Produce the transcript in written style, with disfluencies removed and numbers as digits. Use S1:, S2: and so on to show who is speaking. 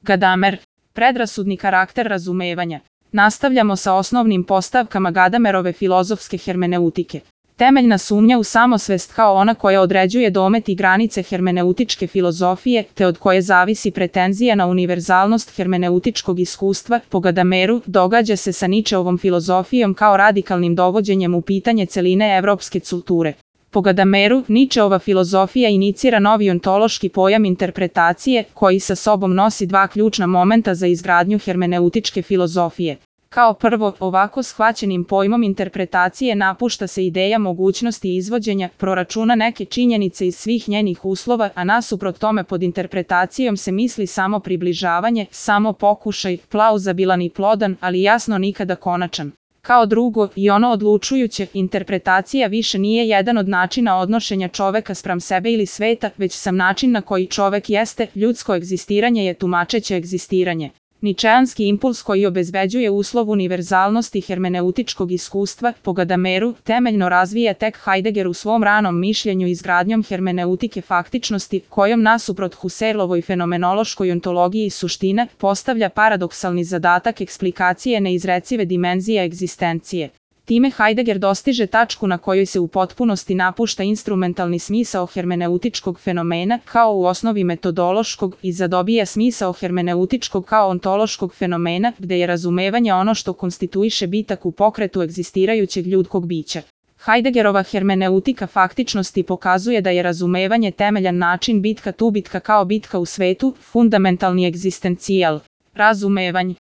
S1: Gadamer. Predrasudni karakter razumevanja. Nastavljamo sa osnovnim postavkama Gadamerove filozofske hermeneutike. Temeljna sumnja u samosvest kao ona koja određuje domet i granice hermeneutičke filozofije, te od koje zavisi pretenzija na univerzalnost hermeneutičkog iskustva, po Gadameru, događa se sa Ničeovom filozofijom kao radikalnim dovođenjem u pitanje celine evropske kulture. Po Gadameru, Ničeova filozofija inicira novi ontološki pojam interpretacije, koji sa sobom nosi dva ključna momenta za izgradnju hermeneutičke filozofije. Kao prvo, ovako shvaćenim pojmom interpretacije napušta se ideja mogućnosti izvođenja, proračuna neke činjenice iz svih njenih uslova, a nasuprot tome pod interpretacijom se misli samo približavanje, samo pokušaj, plauzabilan i plodan, ali jasno nikada konačan. Kao drugo, i ono odlučujuće, interpretacija više nije jedan od načina odnošenja čoveka spram sebe ili sveta, već sam način na koji čovek jeste, ljudsko egzistiranje je tumačeće egzistiranje. Ničeanski impuls koji obezbeđuje uslov univerzalnosti hermeneutičkog iskustva, po Gadameru, temeljno razvija tek Heidegger u svom ranom mišljenju izgradnjom hermeneutike faktičnosti, kojom nasuprot Husserlovoj fenomenološkoj ontologiji suština postavlja paradoksalni zadatak eksplikacije neizrecive dimenzije egzistencije. Time Heidegger dostiže tačku na kojoj se u potpunosti napušta instrumentalni smisao hermeneutičkog fenomena kao u osnovi metodološkog i zadobija smisao hermeneutičkog kao ontološkog fenomena, gde je razumevanje ono što konstituiše bitak u pokretu egzistirajućeg ljudskog bića. Heideggerova hermeneutika faktičnosti pokazuje da je razumevanje temeljan način bitka tu bitka kao bitka u svetu, fundamentalni egzistencijal. Razumevanje.